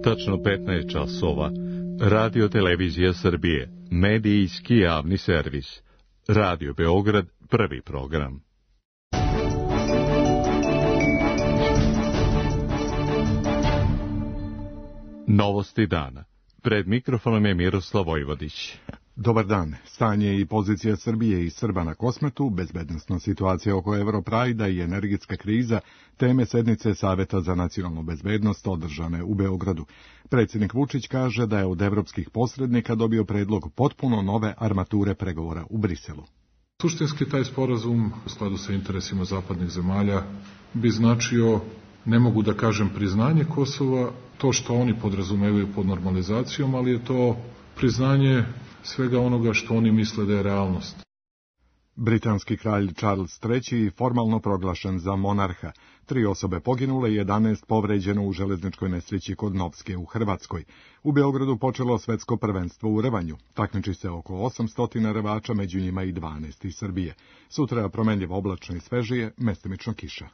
Tačno 15 časova. Radio Televizija Srbije. Medijski javni servis. Radio Beograd, prvi program. Novosti dana. Pred mikrofonom je Miroslav Vojvodić. Dobar dan. Stanje i pozicija Srbije i Srba na Kosmetu, bezbednosna situacija oko Europrajda i energetska kriza, teme sednice Saveta za nacionalnu bezbednost održane u Beogradu. Predsjednik Vučić kaže da je od evropskih posrednika dobio predlog potpuno nove armature pregovora u Briselu. Suštinski taj sporazum, u skladu sa interesima zapadnih zemalja, bi značio, ne mogu da kažem priznanje Kosova, to što oni podrazumevaju pod normalizacijom, ali je to priznanje svega onoga što oni misle da je realnost. Britanski kralj Charles III formalno proglašen za monarha. 3 osobe poginule i 11 povređeno u železničkoj nesreći kod Novske u Hrvatskoj. U Beogradu počelo svetsko prvenstvo u rvanju. Takmiči se oko 800 rvača, među njima i 12 iz Srbije. Sutra promenljivo oblačno i svežije, mestimično kiša.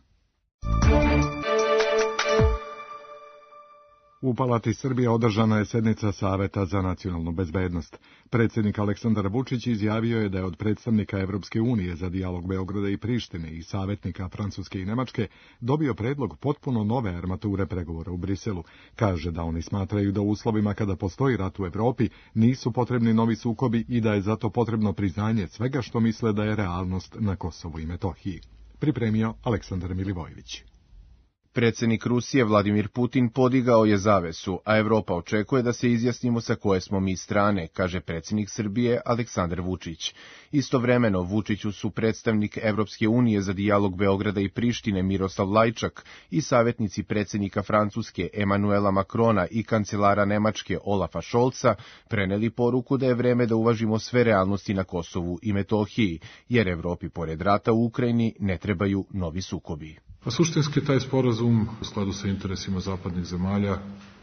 U Palati Srbije održana je sednica Saveta za nacionalnu bezbednost. Predsjednik Aleksandar Vučić izjavio je da je od predstavnika Evropske unije za dijalog Beograda i Prištine i savjetnika Francuske i Nemačke dobio predlog potpuno nove armature pregovora u Briselu. Kaže da oni smatraju da u uslovima kada postoji rat u Evropi nisu potrebni novi sukobi i da je zato potrebno priznanje svega što misle da je realnost na Kosovu i Metohiji. Pripremio Aleksandar Milivojević. Predsjednik Rusije Vladimir Putin podigao je zavesu, a Evropa očekuje da se izjasnimo sa koje smo mi strane, kaže predsjednik Srbije Aleksandar Vučić. Istovremeno, Vučiću su predstavnik Evropske unije za dijalog Beograda i Prištine Miroslav Lajčak i savjetnici predsjednika Francuske Emanuela Macrona i kancelara Nemačke Olafa Scholza preneli poruku da je vreme da uvažimo sve realnosti na Kosovu i Metohiji, jer Evropi pored rata u Ukrajini ne trebaju novi sukobi. A suštinski taj sporazum, u skladu sa interesima zapadnih zemalja,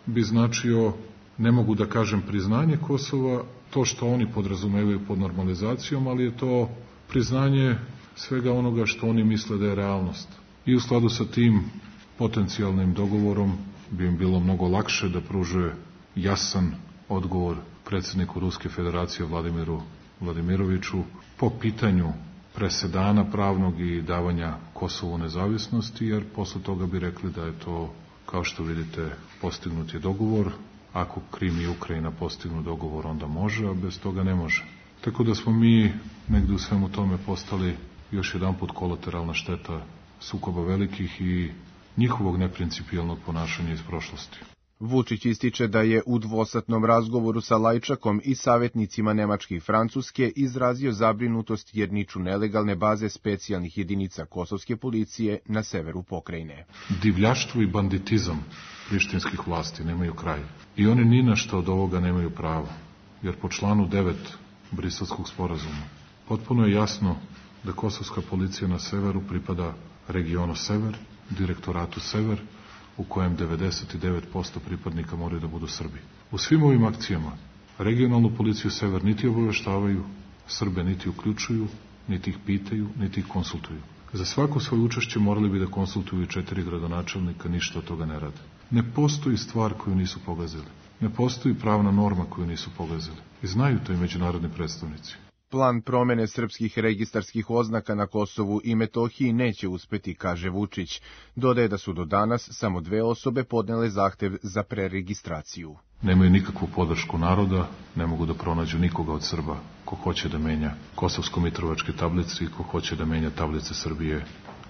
bi značio, ne mogu da kažem priznanje Kosova, to što oni podrazumevaju pod normalizacijom, ali je to priznanje svega onoga što oni misle da je realnost. I u skladu sa tim potencijalnim dogovorom bi im bilo mnogo lakše da pruže jasan odgovor predsjedniku Ruske federacije Vladimiru Vladimiroviću po pitanju presedana pravnog i davanja Kosovu nezavisnosti, jer posle toga bi rekli da je to, kao što vidite, postignut je dogovor. Ako Krim i Ukrajina postignu dogovor, onda može, a bez toga ne može. Tako da smo mi negde u svemu tome postali još jedanput kolateralna šteta sukoba velikih i njihovog neprincipijelnog ponašanja iz prošlosti. Vučić ističe da je u dvosatnom razgovoru sa Lajčakom i savjetnicima Nemačke i Francuske izrazio zabrinutost jer niču nelegalne baze specijalnih jedinica kosovske policije na severu pokrajine. Divljaštvo i banditizam prištinskih vlasti nemaju kraj. I oni ni na što od ovoga nemaju pravo, jer po članu 9 Briselskog sporazuma potpuno je jasno da kosovska policija na severu pripada regionu Sever, direktoratu Sever, u kojem 99% pripadnika moraju da budu Srbi. U svim ovim akcijama regionalnu policiju Sever niti obaveštavaju, Srbe niti uključuju, niti ih pitaju, niti ih konsultuju. Za svako svoje učešće morali bi da konsultuju 4 gradonačelnika, ništa od toga ne rade. Ne postoji stvar koju nisu pogazili. Ne postoji pravna norma koju nisu pogazili. I znaju to i međunarodni predstavnici. Plan promene srpskih registarskih oznaka na Kosovu i Metohiji neće uspeti, kaže Vučić. Dodaje da su do danas samo 2 osobe podnele zahtev za preregistraciju. Nemaju nikakvu podršku naroda, ne mogu da pronađu nikoga od Srba ko hoće da menja kosovsko-mitrovačke tablice i ko hoće da menja tablice Srbije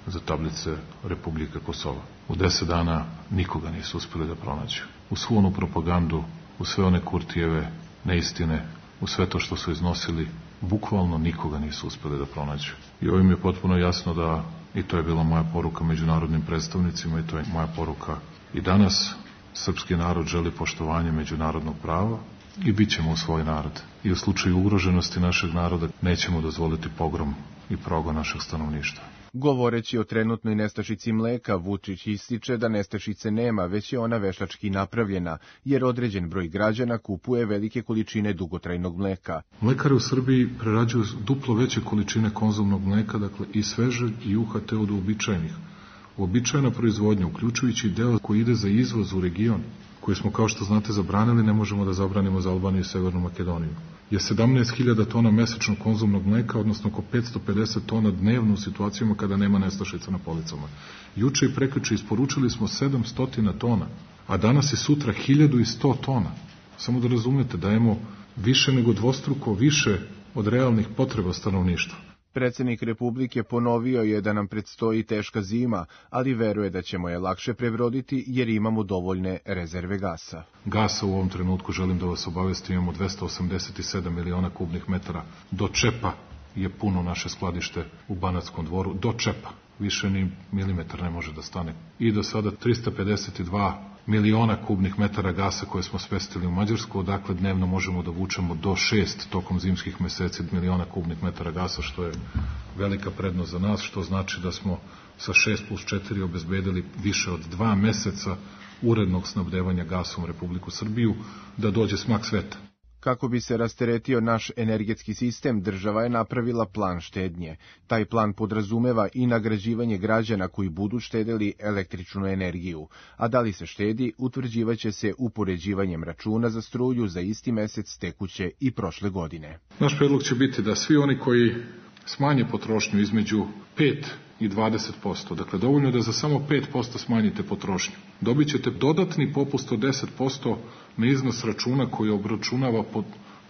za tablice Republike Kosova. U 10 dana nikoga nisu uspeli da pronađu. U svu onu propagandu, u sve one Kurtijeve neistine, u sve to što su iznosili, bukvalno nikoga nisu uspeli da pronađu. I ovim je potpuno jasno da, i to je bila moja poruka međunarodnim predstavnicima, i to je moja poruka i danas, srpski narod želi poštovanje međunarodnog prava i bit ćemo u svoj narod. I u slučaju ugroženosti našeg naroda nećemo dozvoliti pogrom i progon našeg stanovništva. Govoreći o trenutnoj nestašici mleka, Vučić ističe da nestašice nema, već je ona veštački napravljena, jer određen broj građana kupuje velike količine dugotrajnog mleka. Mlekari u Srbiji prerađuju duplo veće količine konzumnog mleka, dakle i svežeg i UHT od uobičajenih. Uobičajena proizvodnja, uključujući deo koji ide za izvoz u region, koji smo, kao što znate, zabranili, ne možemo da zabranimo za Albaniju i Severnu Makedoniju, je 17.000 tona mesečno konzumnog mleka, odnosno oko 550 tona dnevno u situacijama kada nema nestašica na policama. Juče i prekjuče isporučili smo 700 tona, a danas i sutra 1100 tona. Samo da razumete, dajemo više nego dvostruko više od realnih potreba stanovništva. Predsjednik Republike ponovio je da nam predstoji teška zima, ali veruje da ćemo je lakše prebroditi jer imamo dovoljne rezerve gasa. Gasa u ovom trenutku, želim da vas obavestim, imamo 287 miliona kubnih metara. Do čepa je puno naše skladište u Banatskom Dvoru, do čepa. Više ni milimetar ne može da stane. I do sada 352 miliona kubnih metara gasa koje smo smestili u Mađarsku, odakle dnevno možemo da vučemo do 6 tokom zimskih meseci miliona kubnih metara gasa, što je velika prednost za nas, što znači da smo sa 6+4 obezbedili više od 2 meseca urednog snabdevanja gasom Republiku Srbiju, da dođe smak sveta. Kako bi se rasteretio naš energetski sistem, država je napravila plan štednje. Taj plan podrazumeva i nagrađivanje građana koji budu štedeli električnu energiju. A da li se štedi, utvrđivaće se upoređivanjem računa za struju za isti mesec tekuće i prošle godine. Naš predlog će biti da svi oni koji smanje potrošnju između 5 i 20%, dakle dovoljno da za samo 5% smanjite potrošnju, dobit ćete dodatni popust od 10% na iznos računa koji obračunava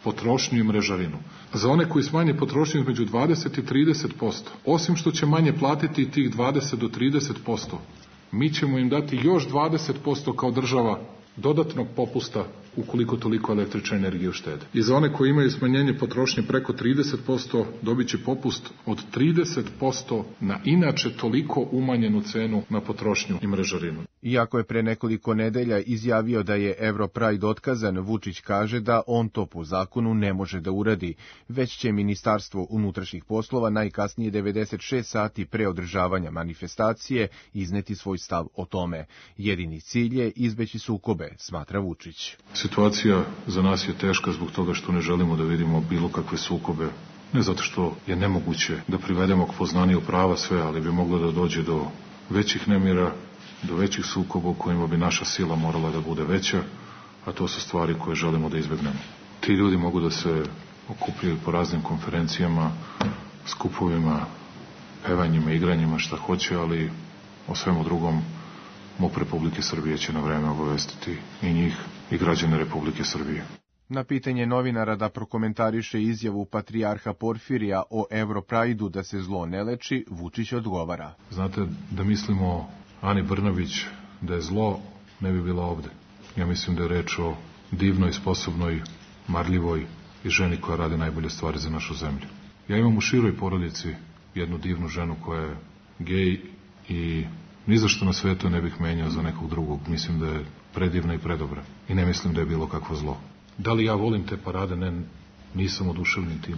potrošnju i mrežarinu. Za one koji smanje potrošnju između 20 i 30%, osim što će manje platiti tih 20 do 30%, mi ćemo im dati još 20% kao država dodatnog popusta ukoliko toliko električne energije uštede. I za one koji imaju smanjenje potrošnje preko 30%, dobit će popust od 30% na inače toliko umanjenu cenu na potrošnju i mrežarinu. Iako je pre nekoliko nedelja izjavio da je Europride otkazan, Vučić kaže da on to po zakonu ne može da uradi, već će Ministarstvo unutrašnjih poslova najkasnije 96 sati pre održavanja manifestacije izneti svoj stav o tome. Jedini cilj je izbeći sukobe, smatra Vučić. Situacija za nas je teška zbog toga što ne želimo da vidimo bilo kakve sukobe. Ne zato što je nemoguće da privedemo k poznaniju prava sve, ali bi moglo da dođe do većih nemira, do većih sukoba u kojima bi naša sila morala da bude veća, a to su stvari koje želimo da izbegnemo. Ti ljudi mogu da se okupljaju po raznim konferencijama, skupovima, pevanjima, igranjima, šta hoće, ali o svemu drugom MUP Republike Srbije će na vreme obavestiti i njih i građane Republike Srbije. Na pitanje novinara da prokomentariše izjavu patrijarha Porfirija o Europride-u da se zlo ne leči, Vučić odgovara. Znate, da mislimo Ani Brnabić da je zlo, ne bi bila ovde. Ja mislim da je reč o divnoj, sposobnoj, marljivoj i ženi koja radi najbolje stvari za našu zemlju. Ja imam u široj porodici jednu divnu ženu koja je gej i ni za što na svetu ne bih menjao za nekog drugog. Mislim da je predivna i predobra. I ne mislim da je bilo kakvo zlo. Da li ja volim te parade? Ne, nisam oduševljen tim.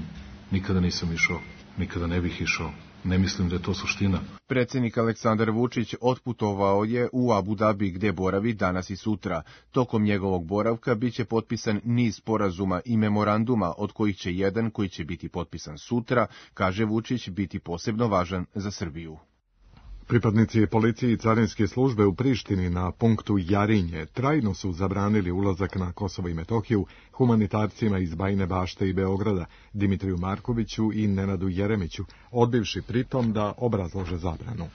Nikada nisam išao. Nikada ne bih išao. Ne mislim da je to suština. Predsjednik Aleksandar Vučić otputovao je u Abu Dhabi gde boravi danas i sutra. Tokom njegovog boravka biće potpisan niz sporazuma i memoranduma, od kojih će jedan koji će biti potpisan sutra, kaže Vučić, biti posebno važan za Srbiju. Pripadnici policije i carinske službe u Prištini na punktu Jarinje trajno su zabranili ulazak na Kosovo i Metohiju humanitarcima iz Bajine Bašte i Beograda, Dimitriju Markoviću i Nenadu Jeremiću, odbivši pritom da obrazlože zabranu.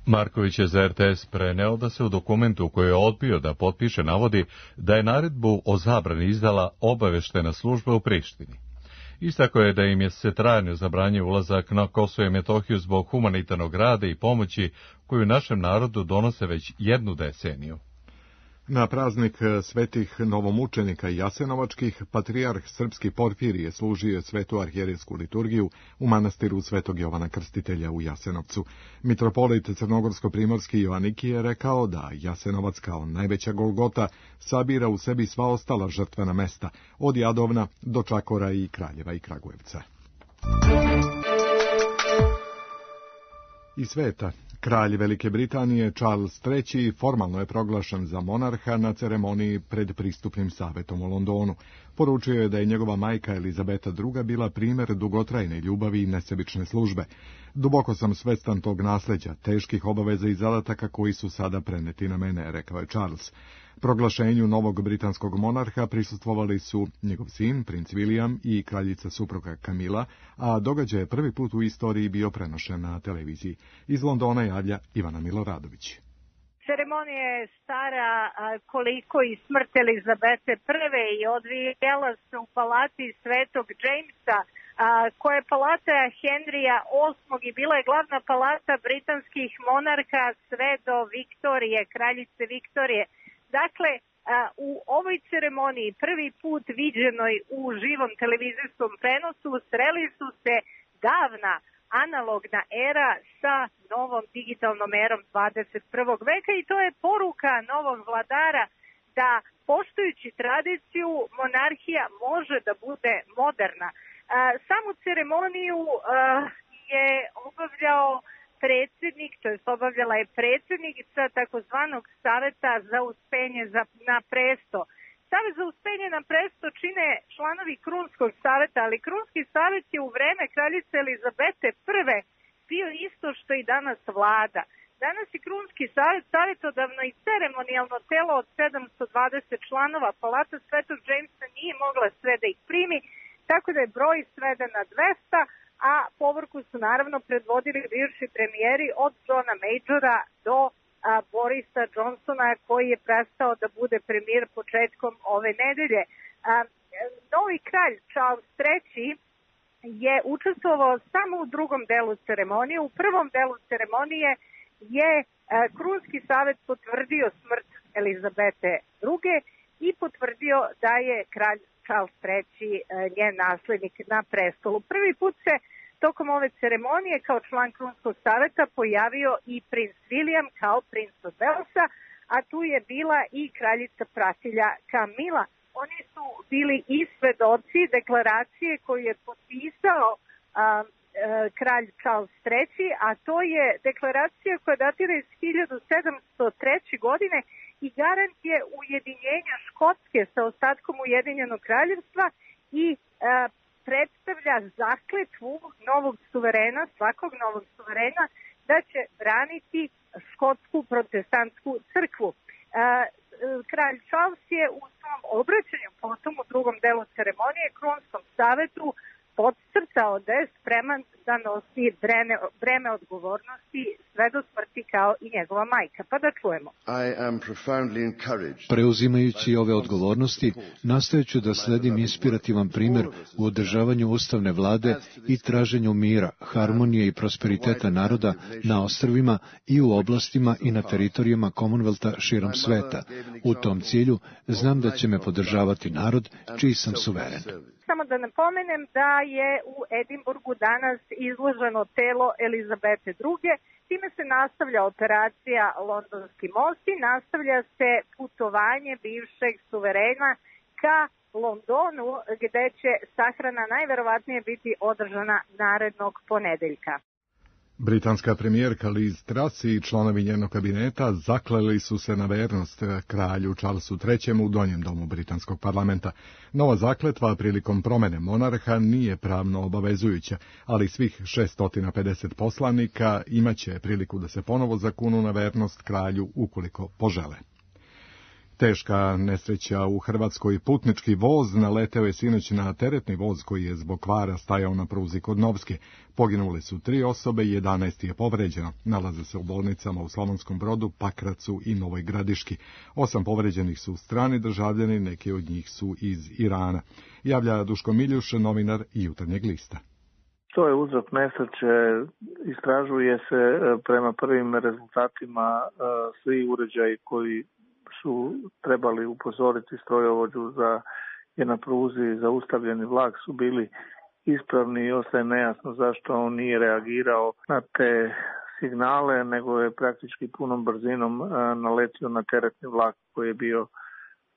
Marković je za RTS preneo da se u dokumentu koji je odbio da potpiše navodi da je naredbu o zabrani izdala obaveštena služba u Prištini. Istako je da im je se trajno zabranio ulazak na Kosovo i Metohiju zbog humanitarnog rada i pomoći koju našem narodu donose već jednu deceniju. Na praznik svetih novomučenika i jasenovačkih, patrijarh srpski Porfirije služio svetu arhijerejsku liturgiju u manastiru Svetog Jovana Krstitelja u Jasenovcu. Mitropolit crnogorsko-primorski Joaniki je rekao da Jasenovac kao najveća Golgota sabira u sebi sva ostala žrtvena mesta, od Jadovna do Čakora i Kraljeva i Kragujevca. I sveta. Kralj Velike Britanije Charles III formalno je proglašen za monarha na ceremoniji pred pristupnim savetom u Londonu. Poručio je da je njegova majka Elizabeta II bila primjer dugotrajne ljubavi i nesebične službe. Duboko sam svestan tog nasljeđa, teških obaveza i zadataka koji su sada preneti na mene, rekao je Charles. Proglašenju novog britanskog monarha prisustvovali su njegov sin, princ William i kraljica supruga Camilla, a događaj je prvi put u istoriji bio prenošen na televiziji. Iz Londona javlja Ivana Miloradović. Ceremonija je stara koliko i smrt Elizabete I i odvijela se u palati Svetog Jamesa, koja je palata Henrya VIII i bila je glavna palata britanskih monarha sve do Viktorije, kraljice Viktorije. Dakle, u ovoj ceremoniji prvi put viđenoj u živom televizijskom prenosu sreli su se davna analogna era sa novom digitalnom erom 21. veka i to je poruka novog vladara da poštujući tradiciju monarhija može da bude moderna. Samu ceremoniju je obavljao predsjednik, to je obavljala je predsjednica takozvanog Saveta za uspenje na presto. Savet za uspenje na presto čine članovi Krunskog saveta, ali Krunski savet je u vreme kraljice Elizabete I bio isto što i danas vlada. Danas je Krunski savet savjetodavno i ceremonijalno telo od 720 članova. Palata Svetog Jamesa nije mogla sve da ih primi, tako da je broj sveden na 200, a povorku su naravno predvodili bivši premijeri od Johna Majora do Borisa Johnsona, koji je prestao da bude premijer početkom ove nedelje. Novi kralj Charles III je učestvovao samo u drugom delu ceremonije. U prvom delu ceremonije je Krunski savet potvrdio smrt Elizabete II i potvrdio da je kralj Charles III njen naslednik na prestolu. Prvi put se tokom ove ceremonije kao član Krunskog saveta pojavio i princ William kao princ od Walesa, a tu je bila i kraljica pratilja Camilla. Oni su bili i svedoci deklaracije koju je potpisao kralj Charles III, a to je deklaracija koja datira iz 1703. godine i garant je ujedinjenja Škotske sa ostatkom Ujedinjenog kraljevstva i predstavlja zakletvu novog suverena, svakog novog suverena, da će braniti škotsku protestantsku crkvu. Kralj Charles je u svom obraćanju potom u drugom delu ceremonije Krunskom savetu podcrtao da je spreman da nosi breme odgovornosti sve do smrti kao i njegova majka. Pa da čujemo. Preuzimajući ove odgovornosti, nastojeću da sledim inspirativan primjer u održavanju ustavne vlade i traženju mira, harmonije i prosperiteta naroda na ostrvima i u oblastima i na teritorijama Commonwealtha širom sveta. U tom cilju znam da će me podržavati narod čiji sam suveren. Samo da napomenem da je u Edinburgu danas izloženo telo Elizabete II. Time se nastavlja operacija Londonski most i nastavlja se putovanje bivšeg suverena ka Londonu, gde će sahrana najverovatnije biti održana narednog ponedeljka. Britanska premijerka Liz Truss i članovi njenog kabineta zakleli su se na vernost kralju Charlesu III. U donjem domu britanskog parlamenta. Nova zakletva prilikom promene monarha nije pravno obavezujuća, ali svih 650 poslanika imaće priliku da se ponovo zakunu na vernost kralju ukoliko požele. Teška nesreća u Hrvatskoj. Putnički voz naleteo je sinoć na teretni voz koji je zbog kvara stajao na pruzi kod Novske. Poginule su 3 osobe i 11 je povređeno. Nalaze se u bolnicama u Slavonskom Brodu, Pakracu i Novoj Gradiški. 8 povređenih su strani državljani, neki od njih su iz Irana. Javlja Duško Miljuš, novinar Jutarnjeg lista. To je uzrok nesreće, istražuje se prema prvim rezultatima svi uređaji koji su trebali upozoriti strojovođu je na pruzi zaustavljeni vlak su bili ispravni i ostaje nejasno zašto on nije reagirao na te signale, nego je praktički punom brzinom naletio na teretni vlak koji je bio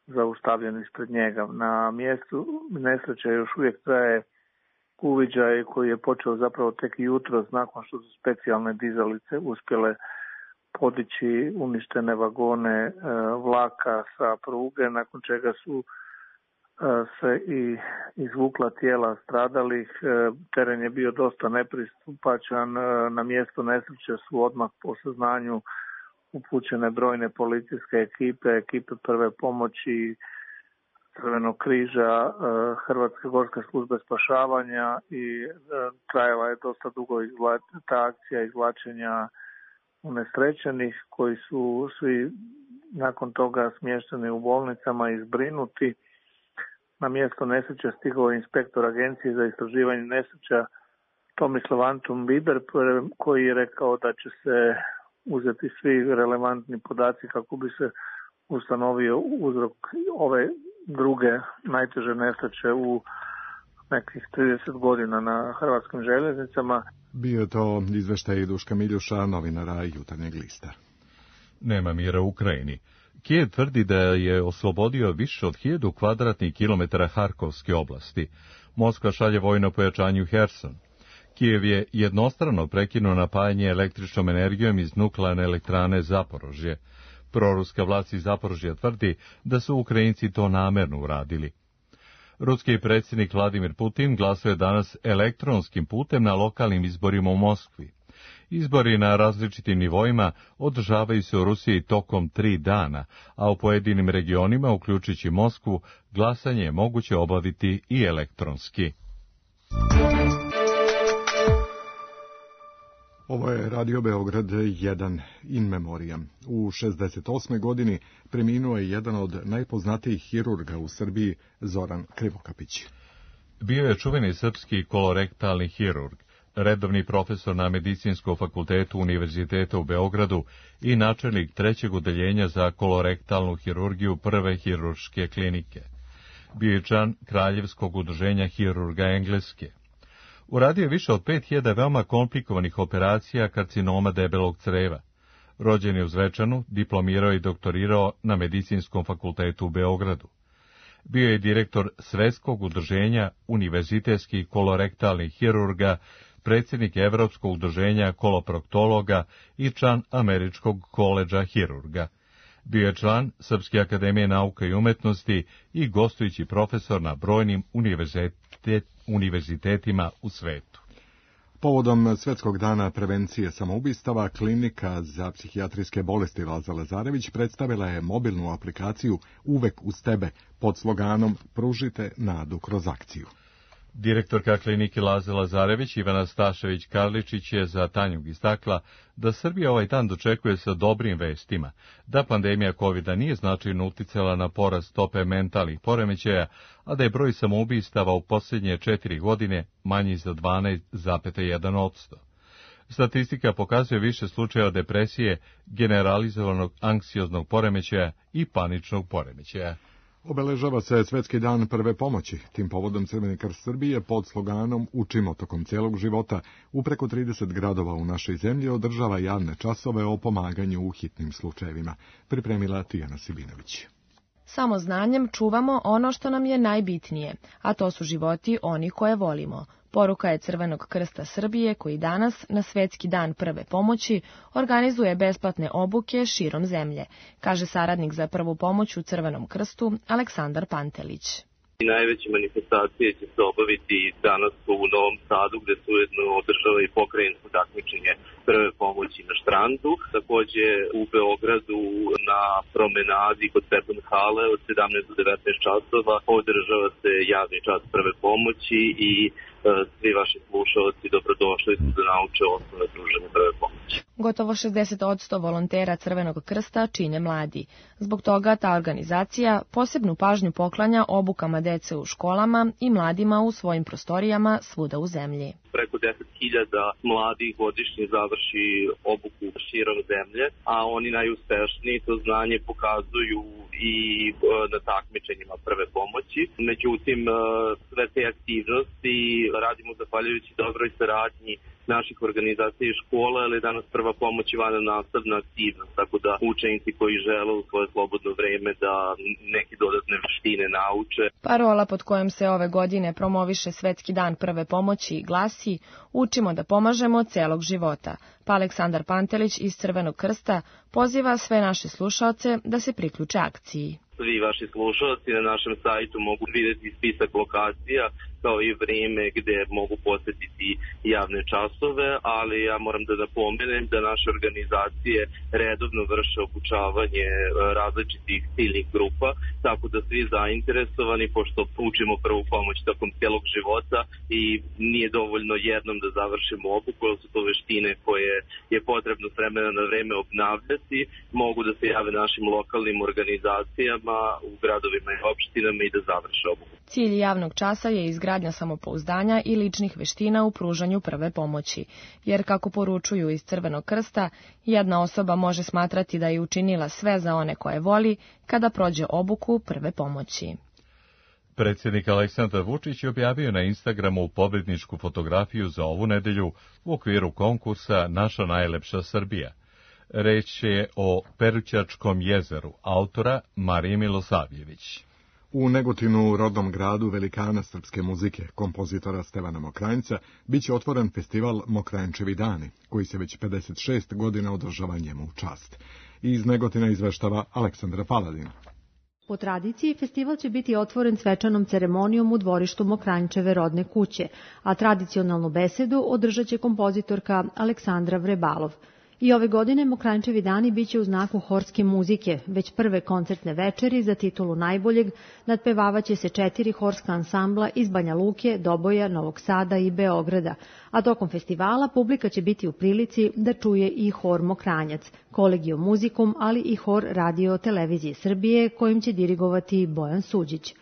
zaustavljen ispred njega. Na mjestu nesreće još uvijek traje uviđaj koji je počeo zapravo tek jutros nakon što su specijalne dizalice uspjele podići uništene vagone vlaka sa pruge, nakon čega su se i izvukla tijela stradalih. Teren je bio dosta nepristupačan. Na mjesto nesreće su odmah po saznanju upućene brojne policijske ekipe prve pomoći, Crvenog križa, Hrvatske gorske službe spašavanja i trajala je dosta dugo ta akcija izvlačenja unesrećenih koji su svi nakon toga smješteni u bolnicama i zbrinuti. Na mjesto nesreće stigao je inspektor Agencije za istraživanje nesreća Tomislav Antun Biber koji je rekao da će se uzeti svi relevantni podaci kako bi se ustanovio uzrok ove druge najteže nesreće u nekih 30 godina na hrvatskim željeznicama. Bio je to izveštaj Duška Miljuša, novinara Jutarnjeg lista. Nema mira u Ukrajini. Kijev tvrdi da je oslobodio više od 1000 kvadratnih kilometara Harkovske oblasti. Moskva šalje vojno pojačanje u Herson. Kijev je jednostrano prekinuo napajanje električnom energijom iz nuklearne elektrane Zaporožje. Proruska vlast iz Zaporožja tvrdi da su Ukrajinci to namerno uradili. Ruski predsjednik Vladimir Putin glasuje je danas elektronskim putem na lokalnim izborima u Moskvi. Izbori na različitim nivoima održavaju se u Rusiji tokom 3 dana, a u pojedinim regionima, uključujući Moskvu, glasanje je moguće obaviti i elektronski. Ovo je Radio Beograd 1 in memoriam. U 68. godini preminuo je jedan od najpoznatijih hirurga u Srbiji, Zoran Krivokapić. Bio je čuveni srpski kolorektalni hirurg, redovni profesor na Medicinskom fakultetu Univerziteta u Beogradu i načelnik 3. odeljenja za kolorektalnu hirurgiju Prve hirurške klinike. Bio je član Kraljevskog udruženja hirurga Engleske. Uradio je više od 5000 veoma komplikovanih operacija karcinoma debelog creva. Rođen je u Zvečanu, diplomirao i doktorirao na Medicinskom fakultetu u Beogradu. Bio je direktor Svetskog udruženja univerzitetskih kolorektalnih hirurga, predsjednik Evropskog udruženja koloproktologa i član Američkog koledža hirurga. Bio je član Srpske akademije nauka i umetnosti i gostujući profesor na brojnim univerzitetima u svetu. Povodom Svetskog dana prevencije samoubistava, Klinika za psihijatrijske bolesti Laza Lazarević predstavila je mobilnu aplikaciju Uvek uz tebe pod sloganom Pružite nadu kroz akciju. Direktorka klinike Laza Lazarević Ivana Stašević-Karličić je za Tanjug istakla da Srbija ovaj dan dočekuje sa dobrim vestima, da pandemija COVID-a nije značajno uticala na porast stope mentalnih poremećaja, a da je broj samoubistava u posljednje 4 godine manji za 12,1%. Statistika pokazuje više slučajeva depresije, generalizovanog anksioznog poremećaja i paničnog poremećaja. Obeležava se Svetski dan prve pomoći. Tim povodom Crveni krst Srbije pod sloganom Učimo tokom cijelog života u preko 30 gradova u našoj zemlji održava javne časove o pomaganju u hitnim slučajevima. Pripremila Tijana Sibinović. Samo znanjem čuvamo ono što nam je najbitnije, a to su životi onih koje volimo. Poruka je Crvenog krsta Srbije koji danas, na Svetski dan prve pomoći, organizuje besplatne obuke širom zemlje, kaže saradnik za prvu pomoć u Crvenom krstu Aleksandar Pantelić. Najveće manifestacije će se obaviti danas u Novom Sadu, gde se ujedno održava i pokrajinsko takmičenje prve pomoći na štrandu. Takođe u Beogradu na promenadi kod Stepen hale od 17 do 19 časova održava se javni čas prve pomoći i svi vaši slušalci dobrodošli su da nauče osnovne pružanja prve pomoći. Gotovo 60% volontera Crvenog krsta čine mladi. Zbog toga ta organizacija posebnu pažnju poklanja obukama dece u školama i mladima u svojim prostorijama svuda u zemlji. Preko 10.000 mladih godišnje završi obuku širom zemlje, a oni najuspešniji to znanje pokazuju i na takmičenjima prve pomoći. Međutim, sve te aktivnosti radimo zahvaljujući dobroj saradnji naših organizacija i škola, ali danas prva pomoć je vannastavna aktivnost, tako da učenici koji žele u svoje slobodno vreme da neke dodatne veštine nauče. Parola pod kojom se ove godine promoviše Svetski dan prve pomoći glasi Učimo da pomažemo celog života, pa Aleksandar Pantelić iz Crvenog krsta poziva sve naše slušaoce da se priključe akciji. Svi vaši slušalci na našem sajtu mogu vidjeti spisak lokacija kao i vrijeme gdje mogu posjetiti javne časove, ali ja moram da napomenem da naše organizacije redovno vrše obučavanje različitih ciljnih grupa, tako da svi zainteresovani, pošto učimo prvu pomoć tokom cijelog života i nije dovoljno jednom da završimo obuku, jer su to veštine koje je potrebno s vremena na vreme obnavljati, mogu da se jave našim lokalnim organizacijama u gradovima i opštinama i da završe obuku. Cilj javnog časa je izgradnja samopouzdanja i ličnih veština u pružanju prve pomoći, jer kako poručuju iz Crvenog krsta, jedna osoba može smatrati da je učinila sve za one koje voli kada prođe obuku prve pomoći. Predsjednik Aleksandar Vučić objavio na Instagramu pobjedničku fotografiju za ovu nedelju u okviru konkursa Naša najlepša Srbija. Reč je o Perućačkom jezeru, autora Marije Milosavljević. U Negotinu, rodnom gradu velikana srpske muzike, kompozitora Stevana Mokranjca, biće otvoren festival Mokranjčevi dani, koji se već 56 godina održava njemu u čast. Iz Negotina izveštava Aleksandra Paladin. Po tradiciji, festival će biti otvoren svečanom ceremonijom u dvorištu Mokranjčeve rodne kuće, a tradicionalnu besedu održat će kompozitorka Aleksandra Vrebalov. I ove godine Mokranjčevi dani biće u znaku horske muzike, već prve koncertne večeri za titulu najboljeg nadpevavaće se 4 horska ansambla iz Banja Luke, Doboja, Novog Sada i Beograda, a tokom festivala publika će biti u prilici da čuje i hor Mokranjac, Kolegio muzikum, ali i hor Radio Televizije Srbije, kojim će dirigovati Bojan Suđić.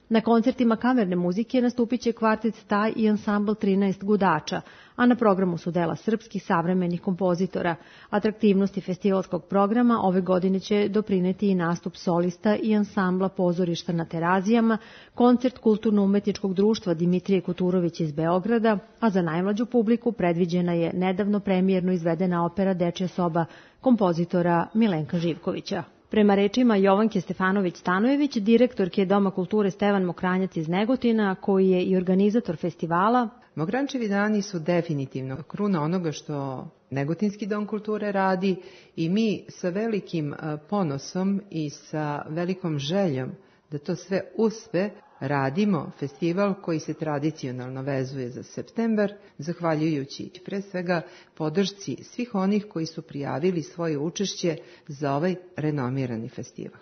Na koncertima kamerne muzike nastupit će kvartet Staj i ansambl 13 gudača, a na programu su dela srpskih savremenih kompozitora. Atraktivnosti festivalskog programa ove godine će doprineti i nastup solista i ansambla pozorišta na Terazijama, koncert Kulturno-umetničkog društva Dimitrije Kuturović iz Beograda, a za najmlađu publiku predviđena je nedavno premijerno izvedena opera Dečja soba kompozitora Milenka Živkovića. Prema rečima Jovanke Stefanović-Stanojević, direktorke Doma kulture Stevan Mokranjac iz Negotina, koji je i organizator festivala, Mokranjčevi dani su definitivno kruna onoga što Negotinski dom kulture radi i mi sa velikim ponosom i sa velikom željom da to sve uspe radimo festival koji se tradicionalno vezuje za septembar, zahvaljujući pre svega podršci svih onih koji su prijavili svoje učešće za ovaj renomirani festival.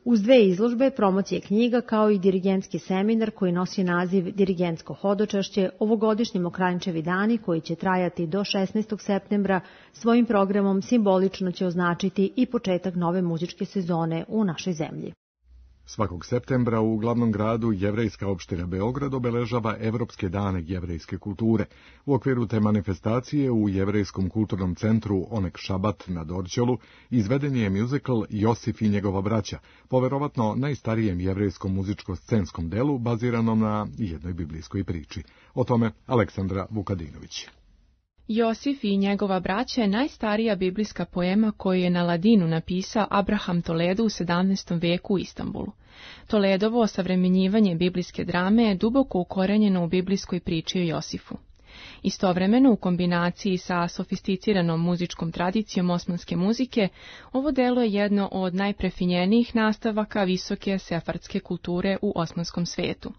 Uz 2 izložbe, promocije knjiga kao i dirigentski seminar koji nosi naziv Dirigentsko hodočašće, ovogodišnji Mokranjčevi dani koji će trajati do 16. septembra svojim programom simbolično će označiti i početak nove muzičke sezone u našoj zemlji. Svakog septembra u glavnom gradu jevrejska opština Beograd obeležava Evropske dane jevrejske kulture. U okviru te manifestacije u Jevrejskom kulturnom centru Onek Šabat na Dorćolu izveden je muzikl Josif i njegova braća, poverovatno najstarijem jevrejskom muzičko-scenskom delu baziranom na jednoj biblijskoj priči. O tome Aleksandra Vukadinović. Josif i njegova braća je najstarija biblijska poema koju je na ladinu napisao Abraham Toledo u 17. veku u Istanbulu. Toledovo osavremenjivanje biblijske drame je duboko ukorenjeno u biblijskoj priči o Josifu. Istovremeno, u kombinaciji sa sofisticiranom muzičkom tradicijom osmanske muzike, ovo delo je jedno od najprefinjenijih nastavaka visoke sefardske kulture u osmanskom svetu.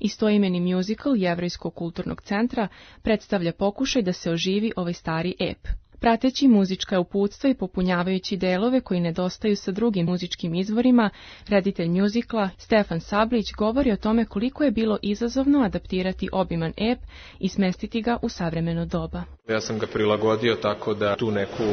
Istoimeni muzikl Jevrejskog kulturnog centra predstavlja pokušaj da se oživi ovaj stari ep. Prateći muzička uputstva i popunjavajući delove koji nedostaju sa drugim muzičkim izvorima, reditelj muzikla Stefan Sablić govori o tome koliko je bilo izazovno adaptirati obiman ep i smestiti ga u savremeno doba. Ja sam ga prilagodio tako da tu neku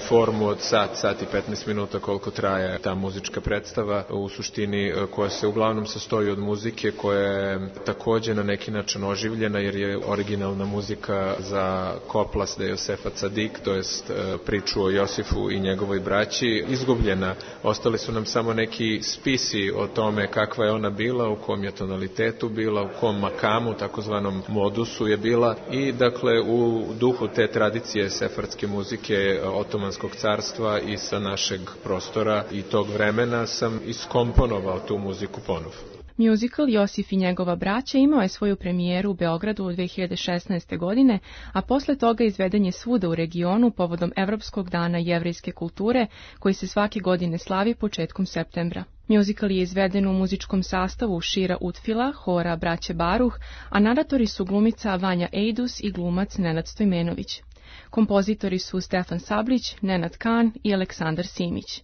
formu od sat i 15 minuta koliko traje ta muzička predstava, u suštini koja se uglavnom sastoji od muzike koja je također na neki način oživljena jer je originalna muzika za Koplas de Josefa Cadik, to jest priču o Josifu i njegovoj braći, izgubljena. Ostali su nam samo neki spisi o tome kakva je ona bila, u kom je tonalitetu bila, u kom makamu, takozvanom modusu je bila i dakle u duhu te tradicije sefardske muzike Otomanskog carstva i sa našeg prostora i tog vremena sam iskomponovao tu muziku ponovo. Muzikl Josif i njegova braća imao je svoju premijeru u Beogradu u 2016. godine, a posle toga izveden je svuda u regionu povodom Evropskog dana jevrejske kulture, koji se svake godine slavi početkom septembra. Muzikal je izveden u muzičkom sastavu Šira Utfila, hora Braće Baruh, a naratori su glumica Vanja Ejdus i glumac Nenad Stojmenović. Kompozitori su Stefan Sablić, Nenad Kan i Aleksandar Simić.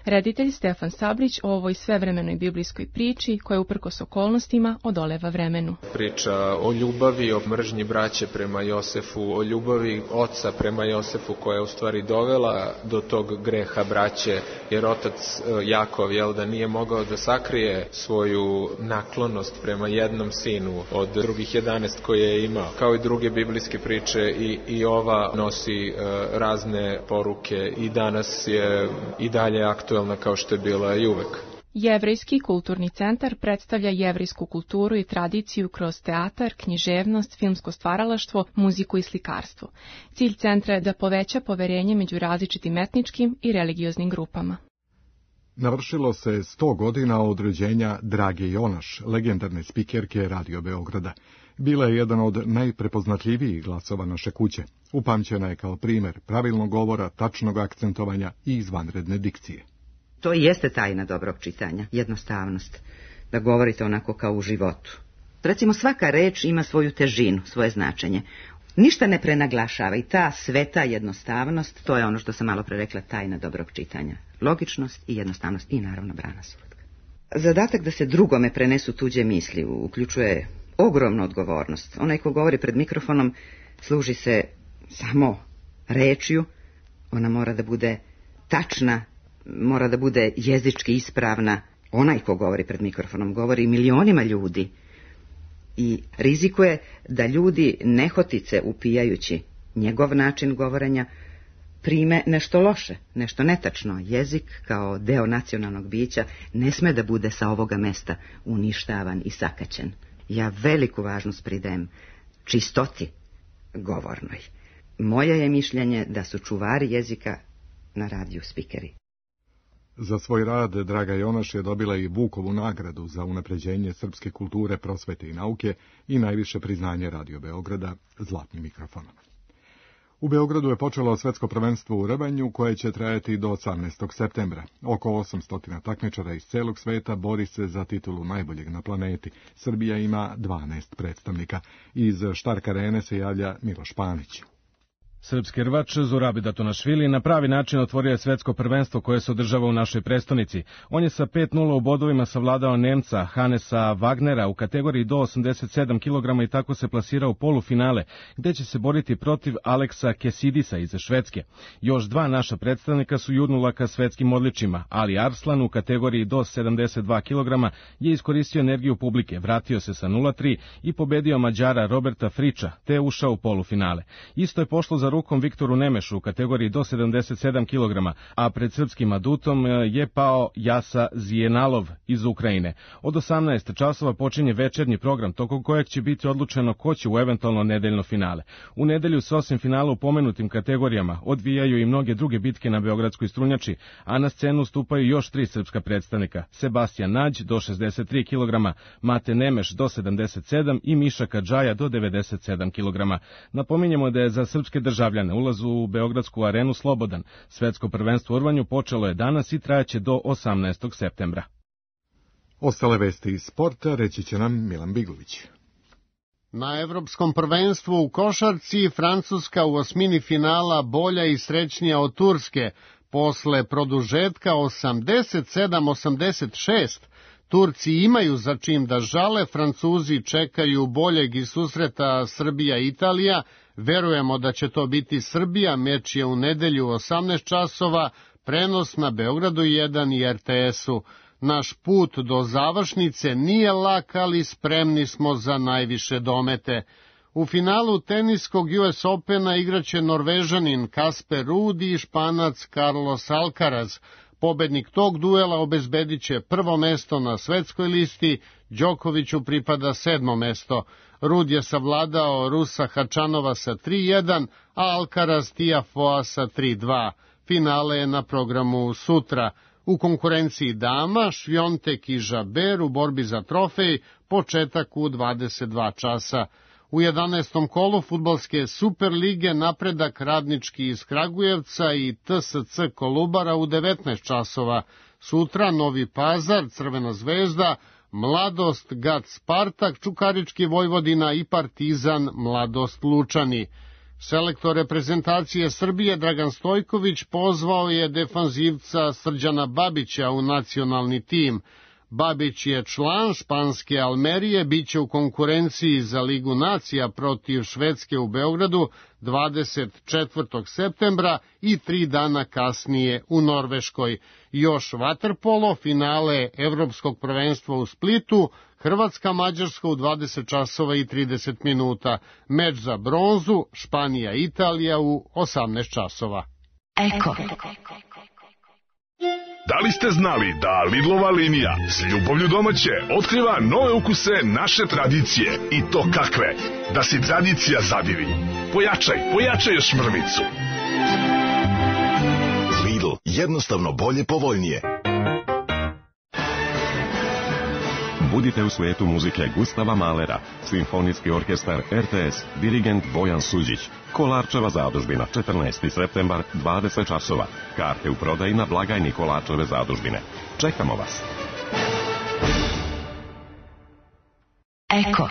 Reditelj Stefan Sablić o ovoj svevremenoj biblijskoj priči koja uprkos okolnostima odoleva vremenu. Priča o ljubavi, o mržnji braće prema Josefu, o ljubavi oca prema Josefu koja je u stvari dovela do tog greha braće, jer otac Jakov da nije mogao da sakrije svoju naklonost prema jednom sinu od drugih 11 koje je imao. Kao i druge biblijske priče i ova nosi razne poruke i danas je i dalje aktuelna kao što je bila i uvek. Jevrejski kulturni centar predstavlja jevrejsku kulturu i tradiciju kroz teatar, književnost, filmsko stvaralaštvo, muziku i slikarstvo. Cilj centra je da poveća poverenje među različitim etničkim i religioznim grupama. Navršilo se 100 godina od rođenja Drage Jonaš, legendarne spikerke Radio Beograda. Bila je jedan od najprepoznatljivijih glasova naše kuće. Upamćena je kao primjer pravilnog govora, tačnog akcentovanja i izvanredne dikcije. To i jeste tajna dobrog čitanja, jednostavnost, da govorite onako kao u životu. Recimo, svaka reč ima svoju težinu, svoje značenje. Ništa ne prenaglašava i ta sveta jednostavnost, to je ono što sam malo pre rekla, tajna dobrog čitanja. Logičnost i jednostavnost i naravno brana slatka. Zadatak da se drugome prenesu tuđe misli uključuje ogromnu odgovornost. Onaj ko govori pred mikrofonom služi se samo rečju, ona mora da bude tačna, mora da bude jezički ispravna. Onaj ko govori pred mikrofonom govori milionima ljudi i rizikuje da ljudi nehotice upijajući njegov način govorenja prime nešto loše, nešto netačno. Jezik kao deo nacionalnog bića ne sme da bude sa ovoga mesta uništavan i sakaćen. Ja veliku važnost pridajem čistoti govornoj. Moje je mišljenje da su čuvari jezika na radiju spikeri. Za svoj rad Draga Jonaš je dobila i Vukovu nagradu za unapređenje srpske kulture, prosvete i nauke i najviše priznanje Radio Beograda, zlatni mikrofon. U Beogradu je počelo svetsko prvenstvo u rvanju koje će trajati do 18. septembra. Oko 800 takmičara iz celog sveta bori se za titulu najboljeg na planeti. Srbija ima 12 predstavnika. Iz Štark Arene se javlja Miloš Panić. Srpski rvač Zurabi Datonašvili na pravi način otvorio je svetsko prvenstvo koje se održava u našoj prestonici. On je sa 5:0 u bodovima savladao Nemca Hanesa Wagnera u kategoriji do 87 kg i tako se plasirao u polufinale, gde će se boriti protiv Aleksa Kesidisa iz Švedske. Još dva naša predstavnika su jurnula ka svetskim odličjima. Ali Arslan u kategoriji do 72 kg je iskoristio energiju publike, vratio se sa 0:3 i pobedio Mađara Roberta Friča, te ušao u polufinale. Isto je pošlo za rukom Viktoru Nemešu u kategoriji do 77 kg, a pred srpskim adutom je pao Jasa Zijenalov iz Ukrajine. Od 18 časova počinje večernji program, tokom kojeg će biti odlučeno ko će u eventualno nedeljno finale. U nedelju se osim finala u pomenutim kategorijama odvijaju i mnoge druge bitke na beogradskoj strunjači, a na scenu stupaju još 3 srpska predstavnika: Sebastijan Nađ do 63 kg, Mate Nemeš do 77 i Miša Kadžaja do 97 kg. Napominjemo da je za srpske državljane ulaz u Beogradsku arenu slobodan. Svetsko prvenstvo u rvanju počelo je danas i trajaće do 18. septembra. Ostale vesti iz sporta reći će nam Milan Bigović. Na Evropskom prvenstvu u košarci Francuska u osmini finala bolja i srećnija od Turske. Posle produžetka 87-86 Turci imaju za čim da žale, Francuzi čekaju boljeg iz susreta Srbija-Italija. Verujemo da će to biti Srbija, meč je u nedelju 18 časova, prenos na Beogradu 1 i RTS-u. Naš put do završnice nije lak, ali spremni smo za najviše domete. U finalu teniskog US Opena igraće Norvežanin Kasper Ruud i Španac Carlos Alcaraz. Pobednik tog duela obezbedit će prvo mesto na svetskoj listi, Đokoviću pripada 7. mesto. Ruud je savladao Rusa Hačanova sa 3:1, a Alcaraz Tiafoa sa 3:2. Finale je na programu sutra. U konkurenciji dama, Švjontek i Žaber u borbi za trofej, početak u 22 časa. U 11. kolu fudbalske Superlige napredak Radnički iz Kragujevca i TSC Kolubara u 19 časova. sutra Novi Pazar, Crvena zvezda, Mladost, Gat Spartak, Čukarički Vojvodina i Partizan, Mladost Lučani. Selektor reprezentacije Srbije Dragan Stojković pozvao je defanzivca Srđana Babića u nacionalni tim. Babić je član španske Almerije, biće u konkurenciji za Ligu nacija protiv Švedske u Beogradu 24. septembra i 3 dana kasnije u Norveškoj. Još vaterpolo, finale Evropskog prvenstva u Splitu, Hrvatska-Mađarska u 20 časova i 30 minuta. Meč za bronzu, Španija-Italija u 18 časova. Eko. Da li ste znali da Lidlova linija s ljubavlju domaće otkriva nove ukuse naše tradicije? I to kakve? Da si tradicija zadivi. Pojačaj još mrvicu. Lidl, jednostavno bolje, povoljnije. Budite u svetu muzike Gustava Mahlera, Simfonijski orkestar RTS, dirigent Bojan Suđić, Kolarčeva zadužbina, 14. septembar, 20 časova. Karte u prodaji na blagajni Kolarčeve zadužbine. Čekamo vas. Eko.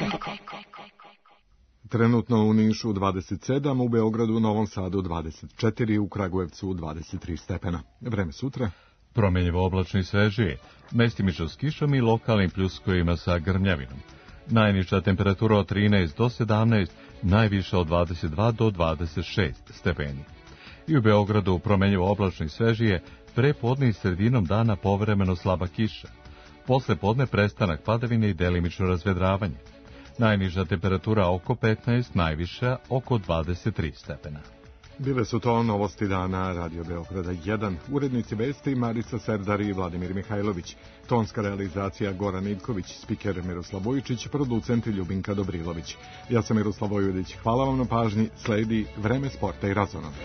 Trenutno u Nišu 27, u Beogradu, Novom Sadu 24, u Kragujevcu 23 stepena. Vreme sutra. Promjenjivo oblačno i svežije, mestimično s kišom i lokalnim pljuskovima sa grmljavinom. Najniža temperatura od 13 do 17, najviša od 22 do 26 stepeni. I u Beogradu promjenjivo oblačno i svežije, prepodne i sredinom dana povremeno slaba kiša. Posle podne prestanak padavine i delimično razvedravanje. Najniža temperatura oko 15, najviša oko 23 stepena. Bile su to novosti dana Radio Beograda 1, urednici vesti Marica Serdar i Vladimir Mihajlović, tonska realizacija Goran Ivković, spiker Miroslav Vujičić, producent Ljubinka Dobrilović. Ja sam Miroslav Vojvodić, hvala vam na pažnji, sledi Vreme sporta i razonode.